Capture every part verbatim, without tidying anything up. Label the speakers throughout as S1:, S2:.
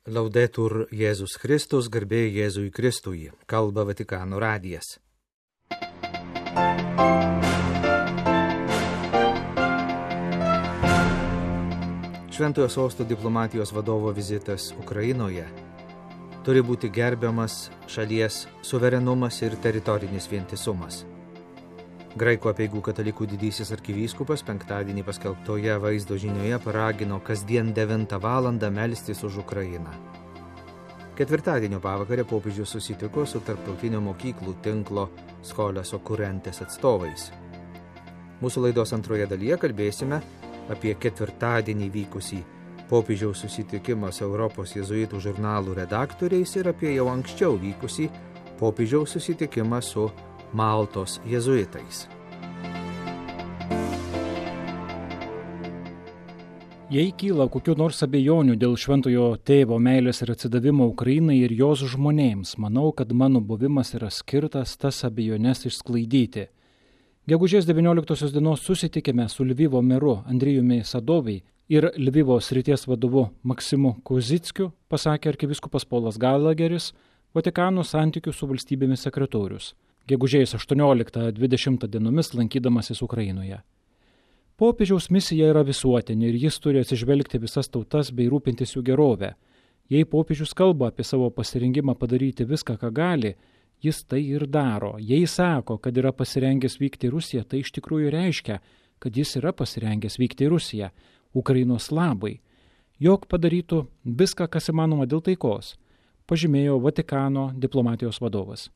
S1: Laudetur Jėzus Kristus, garbė Jėzui Kristui, kalba Vatikano radijas. Šventojo sosto diplomatijos vadovo vizitas Ukrainoje turi būti gerbiamas šalies suverenumas ir teritorinis vientisumas. Graikų apeigų katalikų didysis arkivyskupas penktadienį paskelbtoje vaizdo žinioje paragino kasdien devintą valandą melstis už Ukrainą. Ketvirtadienio pavakarę popiežius susitiko su tarptautinio mokyklų tinklo Scholas Occurrentes atstovais. Mūsų laidos antroje dalyje kalbėsime apie ketvirtadienį vykusį popiežiaus susitikimą su Europos jėzuitų žurnalų redaktoriais ir apie jau anksčiau vykusį popiežiaus susitikimą su Maltos jėzuitais.
S2: Jei kyla kokių nors abejonių dėl šventojo tėvo meilės ir atsidavimo Ukrainai ir jos žmonėms, manau, kad mano buvimas yra skirtas tas abejones išsklaidyti. Gegužės devynioliktosios dienos susitikime su Lvivo meru Andrijumi Sadovi ir Lvivo srities vadovu Maksimu Kozickiu, pasakė arkivyskupas Polas Galageris, Vatikano santykių su valstybėmis sekretorius, gegužės aštuonioliktą dvidešimtą dienomis lankydamasis Ukrainoje. Popiežiaus misija yra visuotinė ir jis turi atsižvelgti visas tautas bei rūpintis jų gerovę. Jei popiežius kalba apie savo pasirengimą padaryti viską, ką gali, jis tai ir daro. Jei sako, kad yra pasirengęs vykti į Rusiją, tai iš tikrųjų reiškia, kad jis yra pasirengęs vykti į Rusiją, Ukrainos labai, jog padarytų viską, kas įmanoma dėl taikos, pažymėjo Vatikano diplomatijos vadovas.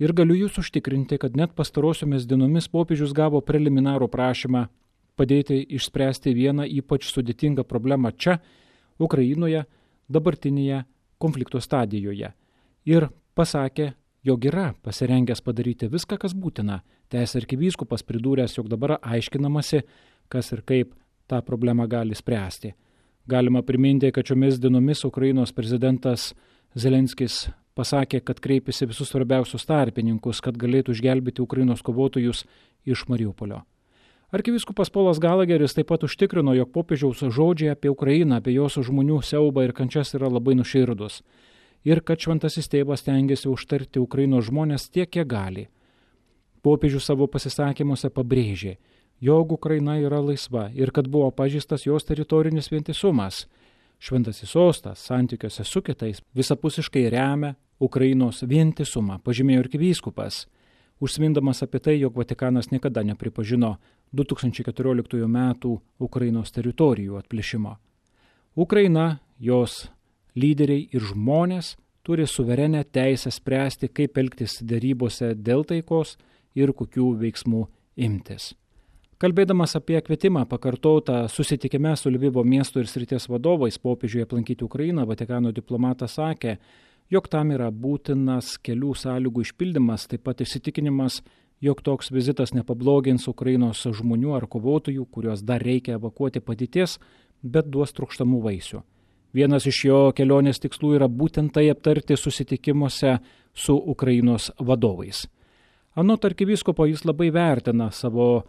S2: Ir galiu jūs užtikrinti, kad net pastarosiomis dienomis popiežius gavo preliminarų prašymą padėti išspręsti vieną ypač sudėtingą problemą čia, Ukrainoje, dabartinėje konflikto stadijoje. Ir pasakė, jog yra pasirengęs padaryti viską, kas būtina. Tęsė arkivyskupas pridūręs, jog dabar aiškinamasi, kas ir kaip tą problemą gali spręsti. Galima priminti, kad šiomis dienomis Ukrainos prezidentas Zelenskis pasakė, kad kreipėsi visus svarbiausius tarpininkus, kad galėtų išgelbėti Ukrainos kovotojus iš Mariupolio. Arkivyskupas Polas Galageris taip pat užtikrino, jog popiežiaus žodžiai apie Ukrainą, apie jos žmonių siaubą ir kančias yra labai nuširdus ir kad šventasis tėvas stengiasi užtarti Ukrainos žmonės tiek, kiek gali. Popiežius savo pasisakymuose pabrėžė, jog Ukraina yra laisva ir kad buvo pažeistas jos teritorinis vientisumas. Šventasis sostas santykiuose su kitais visapusiškai remia Ukrainos vientisumą, pažymėjo arkivyskupas, užsimindamas apie tai, jog Vatikanas niekada nepripažino du tūkstančiai keturioliktųjų metų Ukrainos teritorijų atplėšimo. Ukraina, jos lyderiai ir žmonės turi suverenę teisę spręsti, kaip elgtis derybose dėl taikos ir kokių veiksmų imtis. Kalbėdamas apie kvietimą pakartotą susitikime su Lvivo miesto ir srities vadovais popiežiui aplankyti Ukrainą, Vatikano diplomatas sakė, jog tam yra būtinas kelių sąlygų išpildymas, taip pat įsitikinimas, jog toks vizitas nepablogins Ukrainos žmonių ar kovotojų, kuriuos dar reikia evakuoti padėties, bet duos trokštamų vaisių. Vienas iš jo kelionės tikslų yra būtent tai aptarti susitikimuose su Ukrainos vadovais. Anot arkivyskupo jis labai vertina savo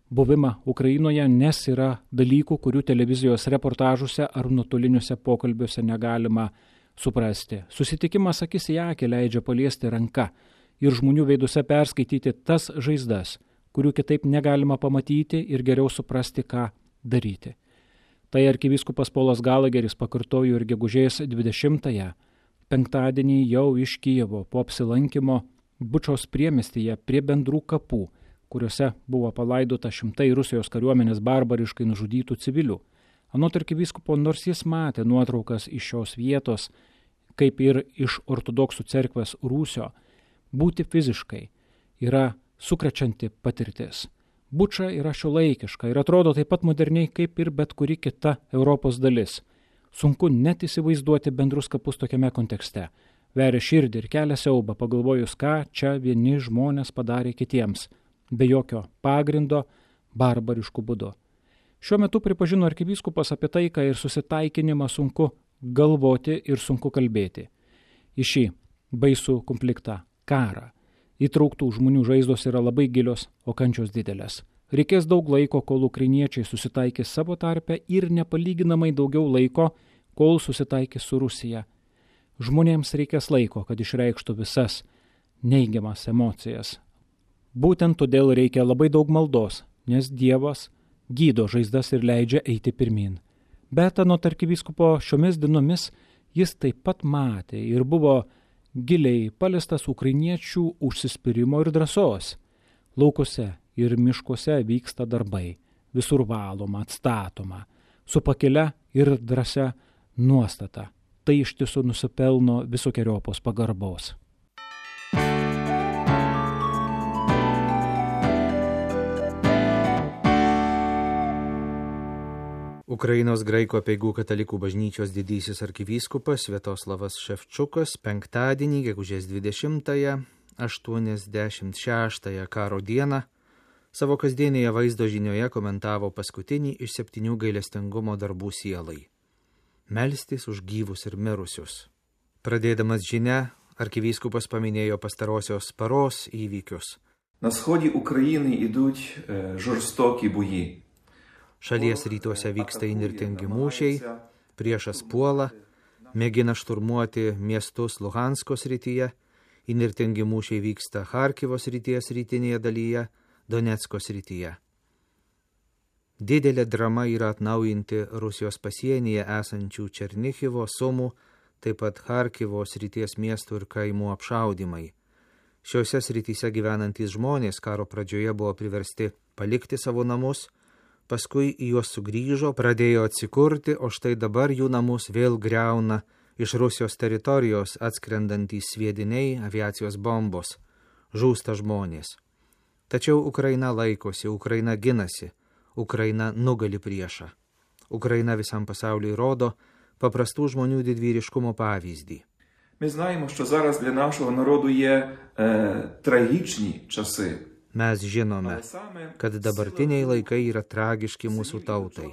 S2: buvimą Ukrainoje, nes yra dalykų, kurių televizijos reportažuose ar nuotoliniuose pokalbiuose negalima suprasti. Susitikimas akis į akį leidžia paliesti ranką ir žmonių veiduose perskaityti tas žaizdas, kurių kitaip negalima pamatyti ir geriau suprasti, ką daryti. Tai arkivyskupas Polas Galageris pakartojo ir gegužės dvidešimtąją, penktadienį jau iš Kijevo po apsilankimo Bučos priemiestyje prie bendrų kapų, kuriuose buvo palaidota šimtai Rusijos kariuomenės barbariškai nužudytų civilių. Anot arkivyskupo, nors jis matė nuotraukas iš šios vietos, kaip ir iš ortodoksų cerkvės Rūsio, būti fiziškai yra sukrečianti patirtis. Buča yra šiuolaikiška ir atrodo taip pat moderniai kaip ir bet kuri kita Europos dalis. Sunku net įsivaizduoti bendrus kapus tokiame kontekste. Veria širdį ir kelia siaubą, pagalvojus, ką čia vieni žmonės padarė kitiems, be jokio pagrindo, barbariškų būdu. Šiuo metu pripažino arkivyskupas apie taiką ir susitaikinimą sunku galvoti ir sunku kalbėti. Į šį baisų konfliktą, karą, įtrauktų žmonių žaizdos yra labai gilios, o kančios didelės. Reikės daug laiko, kol ukrainiečiai susitaikys savo tarpe ir nepalyginamai daugiau laiko, kol susitaikys su Rusija. Žmonėms reikės laiko, kad išreikštų visas neigiamas emocijas. Būtent todėl reikia labai daug maldos, nes Dievas gydo žaizdas ir leidžia eiti pirmin. Bet anot arkivyskupo šiomis dienomis jis taip pat matė ir buvo giliai paliestas ukrainiečių užsispyrimo ir drąsos. Laukuose ir miškuose vyksta darbai, visur valoma, atstatoma, su pakilia ir drąsia nuostata. Tai iš tiesų nusipelno visokiojopos pagarbos.
S1: Ukrainos graikų apeigų katalikų bažnyčios didysis arkivyskupas Sviatoslavas Ševčiukas penktadienį, gegužės dvidešimtąją, aštuoniasdešimt šeštąją karo dieną, savo kasdienėje vaizdo žinioje komentavo paskutinį iš septynių gailestingumo darbų sielai – melstis už gyvus ir mirusius. Pradėdamas žinią, arkivyskupas paminėjo pastarosios paros įvykius.
S3: На сході України ідуть е, жорстокі бої.
S1: Šalies rytuose vyksta įnirtingi mūšiai, priešas puola, mėgina šturmuoti miestus Luhansko srityje, įnirtingi mūšiai vyksta Charkivo srities rytinėje dalyje, Donecko srityje. Didelė drama yra atnaujinti Rusijos pasienyje esančių Černichivo, Sumų, taip pat Charkivo srities miestų ir kaimų apšaudymai. Šiuose srityse gyvenantys žmonės karo pradžioje buvo priversti palikti savo namus, paskui į juos sugrįžo, pradėjo atsikurti, o štai dabar jų namus vėl griauna iš Rusijos teritorijos atskrendantys sviediniai, aviacijos bombos, žūsta žmonės. Tačiau Ukraina laikosi, Ukraina ginasi, Ukraina nugali priešą. Ukraina visam pasauliui rodo paprastų žmonių didvyriškumo pavyzdį.
S3: Ми знаємо, що зараз для нашого народу є е, трагічні часи.
S1: Mes žinome, kad dabartiniai laikai yra tragiški mūsų tautai,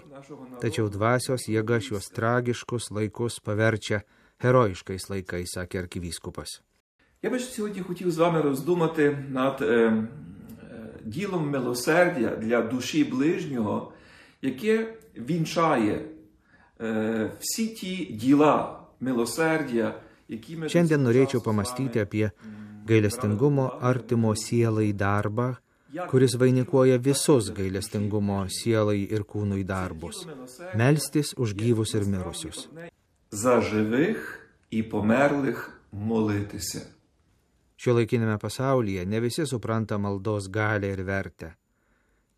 S1: tačiau dvasios jėga šios tragiškus laikus paverčia herojiškais laikais, sakė arkivyskupas.
S3: Я би сьогодні хотів з вами роздумати над е, е, ділом милосердя для душі ближнього, яке вінчає е, всі ті діла милосердя, які ми...
S1: Šiandien norėčiau pamastyti apie gailestingumo artimo sielai darbą, kuris vainikuoja visus gailestingumo sielai ir kūnui darbus – melstis už gyvus ir mirusius.
S3: За живих і померлих молитися.
S1: Šiuolaikinėme pasaulyje ne visi supranta maldos galią ir vertę.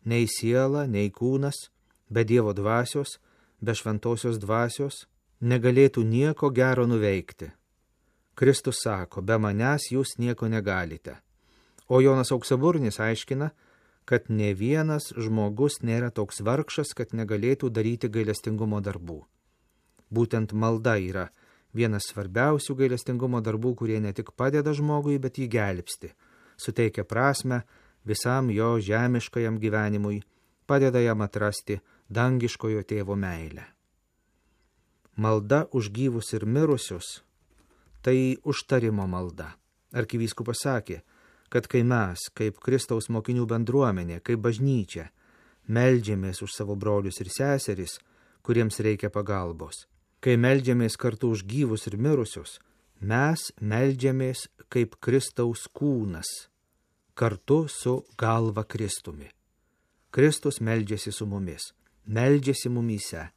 S1: Nei siela, nei kūnas, be Dievo dvasios, be šventosios dvasios negalėtų nieko gero nuveikti. Kristus sako, be manęs jūs nieko negalite. O Jonas Auksaburnis aiškina, kad ne vienas žmogus nėra toks vargšas, kad negalėtų daryti gailestingumo darbų. Būtent malda yra vienas svarbiausių gailestingumo darbų, kurie ne tik padeda žmogui, bet jį gelbsti, suteikia prasmę visam jo žemiškajam gyvenimui, padeda jam atrasti dangiškojo tėvo meilę. Malda už gyvus ir mirusius – tai užtarimo malda. Arkivyskupas sakė, kad kai mes, kaip Kristaus mokinių bendruomenė, kaip bažnyčia, meldžiamės už savo brolius ir seseris, kuriems reikia pagalbos, kai meldžiamės kartu už gyvus ir mirusius, mes meldžiamės kaip Kristaus kūnas, kartu su galva Kristumi. Kristus meldžiasi su mumis, meldžiasi mumyse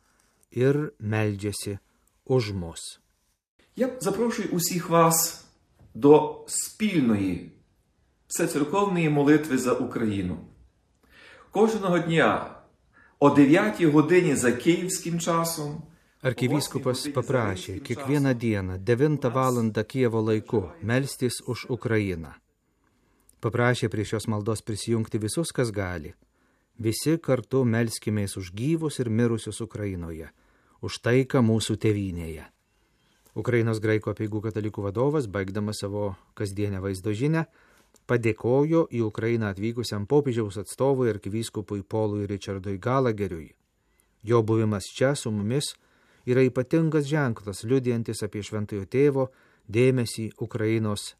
S1: ir meldžiasi už mus.
S3: Я запрошую усіх вас до спільної всецерковної молитви за Україну. Кожного дня о дев'ятій годині за київським часом
S1: Arkivyskupas paprašė kiekvieną dieną devintą valandą Kijevo laiku melstis už Ukrainą. Paprašė prie šios maldos prisijungti visus, kas gali. Visi kartu melskimės už gyvus ir mirusius Ukrainoje, už taiką mūsų tėvynėje. Ukrainos graikų apeigų katalikų vadovas, baigdamas savo kasdienę vaizdo žinią, padėkojo į Ukrainą atvykusiam popiežiaus atstovui arkivyskupui Polui Richardui Galageriui. Jo buvimas čia su mumis yra ypatingas ženklas, liudijantis apie šventojo tėvo dėmesį Ukrainos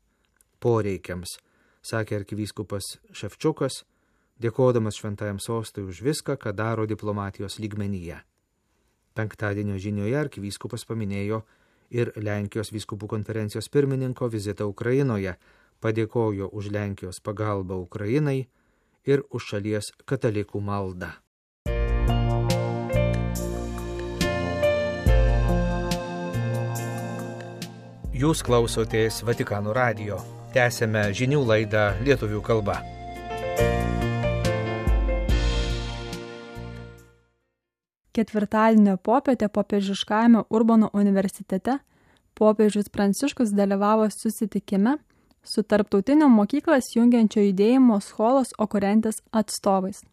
S1: poreikiams, sakė arkivyskupas Ševčiukas, dėkodamas šventajam sostui už viską, ką daro diplomatijos lygmenyje. Penktadienio žinioje arkivyskupas paminėjo ir Lenkijos vyskupų konferencijos pirmininko vizitą Ukrainoje, padėkojo už Lenkijos pagalbą Ukrainai ir už šalies katalikų maldą. Jūs klausotės Vatikano radijo. Tęsėme žinių laidą lietuvių kalba.
S4: Ketvirtadienio popietę popiežiškajame Urbono universitete popiežius Pranciškus dalyvavo susitikime su tarptautinio mokyklas jungiančio judėjimo Scholos Occurrentes atstovais.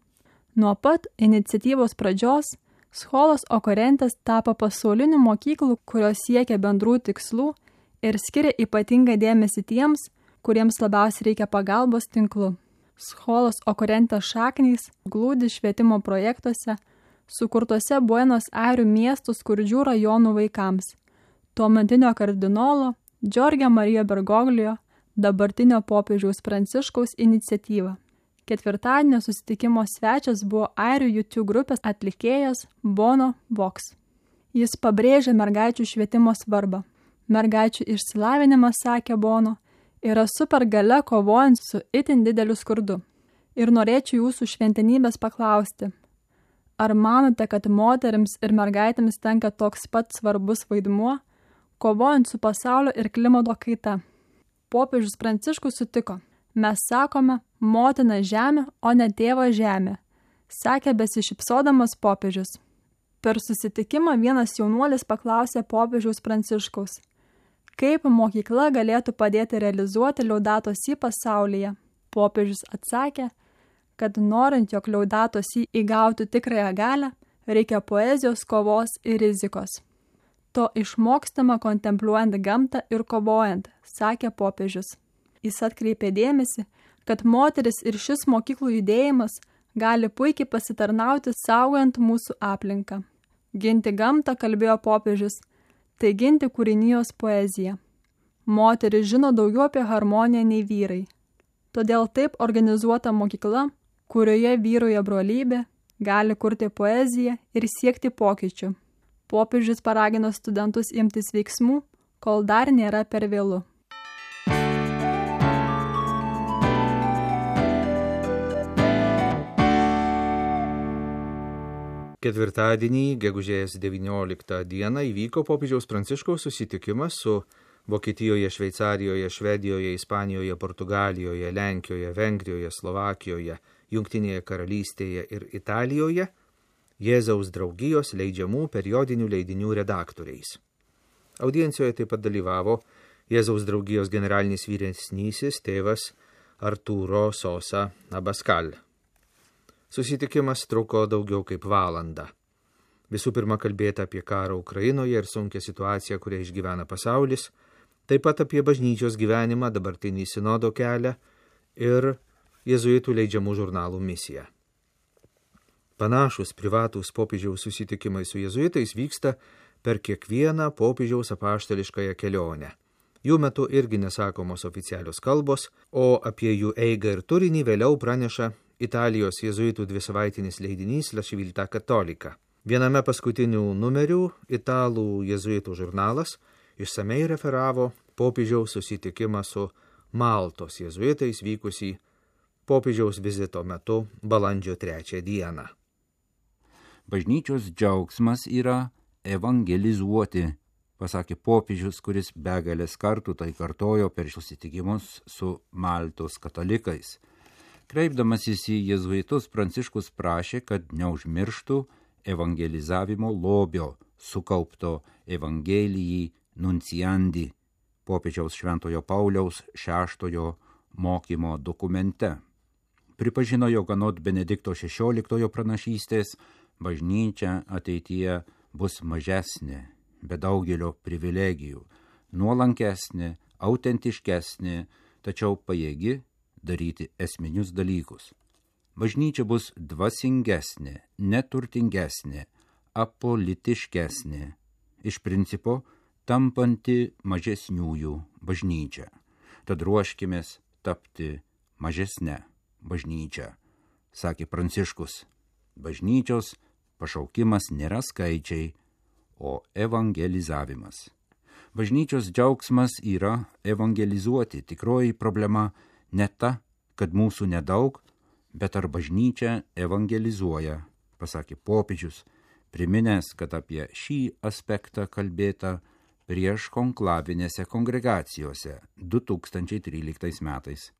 S4: Nuo pat iniciatyvos pradžios Scholos Occurrentes tapo pasaulinių mokyklų, kurios siekia bendrų tikslų ir skiria ypatingą dėmesį tiems, kuriems labiausiai reikia pagalbos tinklu. Scholos Occurrentes šaknys glūdi švietimo projektuose, sukurtose Buenos Airių miestų skurdžių rajonų vaikams, tuometinio kardinolo Giorgio Mario Bergoglio, dabartinio popiežiaus Pranciškaus iniciatyva. Ketvirtadienio susitikimo svečias buvo airių U two grupės atlikėjas Bono Vox. Jis pabrėžė mergaičių švietimo svarbą. Mergaičių išsilavinimas, sakė Bono, yra supergalia kovojant su itin dideliu skurdu. Ir norėčiau jūsų šventenybės paklausti, ar manote, kad moterims ir mergaitėms tenka toks pat svarbus vaidmuo, kovojant su pasaulio ir klimato kaita? Popiežius Pranciškus sutiko, mes sakome motina žemė, o ne tėvo žemė, sakė besišypsodamas popiežius. Per susitikimą vienas jaunuolis paklausė popiežiaus Pranciškaus, kaip mokykla galėtų padėti realizuoti Laudato Si pasaulyje. Popiežius atsakė, kad norint, jog Laudato Si įgautų tikrąją galią, reikia poezijos, kovos ir rizikos. To išmokstama kontempliuojant gamtą ir kovojant, sakė popiežius. Jis atkreipė dėmesį, kad moteris ir šis mokyklų judėjimas gali puikiai pasitarnauti saugant mūsų aplinką. Ginti gamtą, kalbėjo popiežius, tai ginti kūrinijos poeziją. Moteris žino daugiau apie harmoniją nei vyrai. Todėl taip organizuota mokykla, kurioje vyrauja brolybė, gali kurti poeziją ir siekti pokyčių. Popiežius paragino studentus imtis veiksmų, kol dar nėra per vėlu.
S1: Ketvirtadienį, gegužės devynioliktą dieną, įvyko popiežiaus Pranciškaus susitikimas su Vokietijoje, Šveicarijoje, Švedijoje, Ispanijoje, Portugalijoje, Lenkijoje, Vengrijoje, Slovakijoje, Jungtinėje karalystėje ir Italijoje Jėzaus draugijos leidžiamų periodinių leidinių redaktoriais. Audiencijoje taip pat dalyvavo Jėzaus draugijos generalinis vyresnysis tėvas Arturo Sosa Abascal. Susitikimas truko daugiau kaip valandą. Visų pirma kalbėta apie karą Ukrainoje ir sunkią situaciją, kurią išgyvena pasaulis, taip pat apie bažnyčios gyvenimą, dabartinį sinodo kelią ir jėzuitų leidžiamų žurnalų misiją. Panašus privatūs popiežiaus susitikimai su jėzuitais vyksta per kiekvieną popiežiaus apaštališkąją kelionę. Jų metu irgi nesakomos oficialios kalbos, o apie jų eigą ir turinį vėliau praneša Italijos jėzuitų dvisavaitinis leidinys La Civiltà Cattolica. Viename paskutinių numerių italų jėzuitų žurnalas išsamei referavo popiežiaus susitikimą su Maltos jėzuitais vykusį popiežiaus vizito metu balandžio trečią dieną.
S5: Bažnyčios džiaugsmas yra evangelizuoti, pasakė popiežius, kuris begalės kartų tai kartojo per susitikimus su Maltos katalikais. Kreipdamasis į jėzuitus, Pranciškus prašė, kad neužmirštų evangelizavimo lobio, sukaupto Evangelijai Nunciandi, popiežiaus Šventojo Pauliaus šeštojo mokymo dokumente. Pripažino, jog anot Benedikto šešioliktojo pranašystės, bažnyčia ateityje bus mažesnė, be daugelio privilegijų, nuolankesnė, autentiškesnė, tačiau pajėgi daryti esminius dalykus. Bažnyčia bus dvasingesnė, neturtingesnė, apolitiškesnė, iš principo tampanti mažesniųjų bažnyčia. Tad ruoškimės tapti mažesnę bažnyčią, sakė Pranciškus. Bažnyčios pašaukimas nėra skaičiai, o evangelizavimas. Bažnyčios džiaugsmas yra evangelizuoti. Tikroji problema ne ta, kad mūsų nedaug, bet ar bažnyčia evangelizuoja, pasakė popiežius, priminęs, kad apie šį aspektą kalbėta prieš konklavinėse kongregacijose du tūkstančiai tryliktais metais.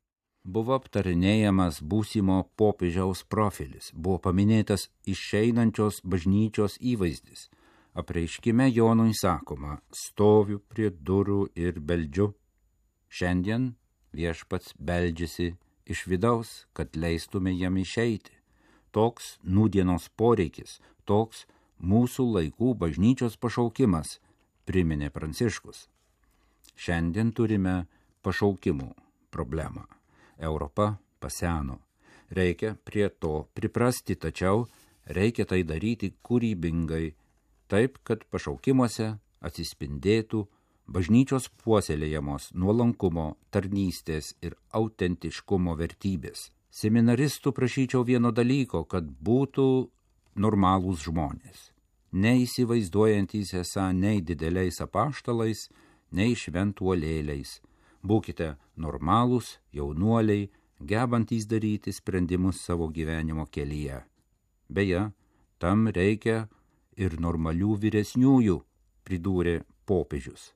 S5: Buvo aptarinėjamas būsimo popiežiaus profilis, buvo paminėtas išeinančios bažnyčios įvaizdis. Apreiškime Jonui sakoma, stoviu prie durų ir beldžiu. Šiandien viešpats beldžiasi iš vidaus, kad leistume jam išeiti. Toks nūdienos poreikis, toks mūsų laikų bažnyčios pašaukimas, priminė Pranciškus. Šiandien turime pašaukimų problemą. Europa paseno. Reikia prie to priprasti, tačiau reikia tai daryti kūrybingai, taip, kad pašaukimuose atsispindėtų bažnyčios puoselėjamos nuolankumo, tarnystės ir autentiškumo vertybės. Seminaristų prašyčiau vieno dalyko, kad būtų normalūs žmonės, neįsivaizduojantys esą nei dideliais apaštalais, nei šventuolėliais. Būkite normalūs jaunuoliai, gebantys daryti sprendimus savo gyvenimo kelyje. Beje, tam reikia ir normalių vyresniųjų, pridūrė popiežius.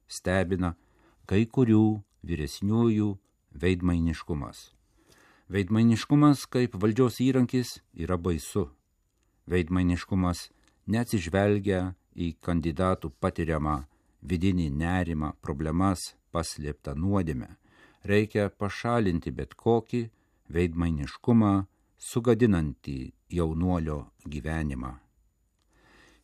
S5: Stebina kai kurių vyresniųjų veidmainiškumas. Veidmainiškumas kaip valdžios įrankis yra baisu. Veidmainiškumas neatsižvelgia į kandidatų patiriamą vidinį nerimą, problemas, paslėptą nuodėmę. Reikia pašalinti bet kokį veidmainiškumą, sugadinantį jaunuolio gyvenimą.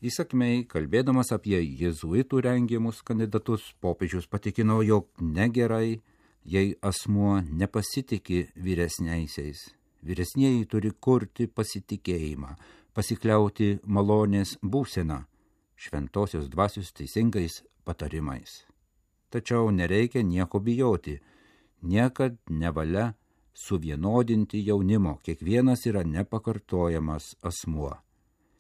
S5: Įsakmiai, kalbėdamas apie jėzuitų rengiamus kandidatus, popiežius patikino, jog negerai, jei asmuo nepasitikė vyresniaisiais. Vyresnieji turi kurti pasitikėjimą, pasikliauti malonės būseną, šventosios dvasios teisingais patarimais. Tačiau nereikia nieko bijoti, niekad nevalia suvienodinti jaunimo, kiekvienas yra nepakartojamas asmuo.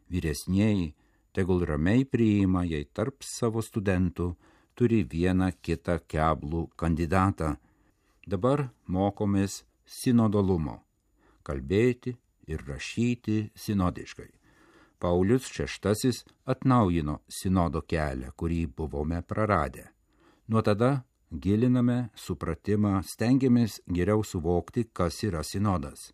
S5: Vyresnieji tegul ramiai priima, jei tarp savo studentų turi vieną kitą keblų kandidatą. Dabar mokomės sinodalumo, kalbėti ir rašyti sinodiškai. Paulius šeštasis atnaujino sinodo kelią, kurį buvome praradę. Nuo tada giliname supratimą, stengiamės geriau suvokti, kas yra sinodas.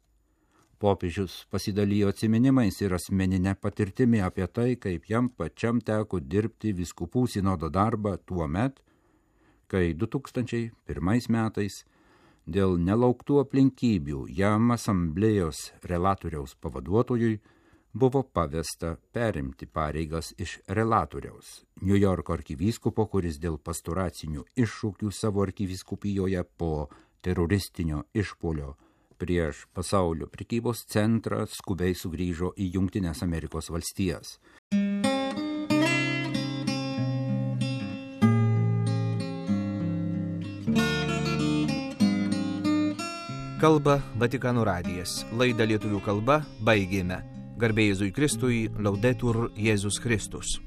S5: Popiežius pasidalijo atsiminimais ir asmeninę patirtimį apie tai, kaip jam pačiam teko dirbti vyskupų sinodo darbą tuo met, kai du tūkstančiai pirmais metais dėl nelauktų aplinkybių jam asamblėjos relatoriaus pavaduotojui buvo pavesta perimti pareigas iš relatoriaus, Niujorko arkivyskupo, kuris dėl pastoracinių iššūkių savo arkivyskupijoje po teroristinio išpuolio prieš pasaulio prekybos centrą skubiai sugrįžo į Jungtines Amerikos valstijas.
S1: Kalba Vatikano radijas. Laidą lietuvių kalba baigėme. Garbė Jėzui Kristui, Laudetur Jėzus Kristus.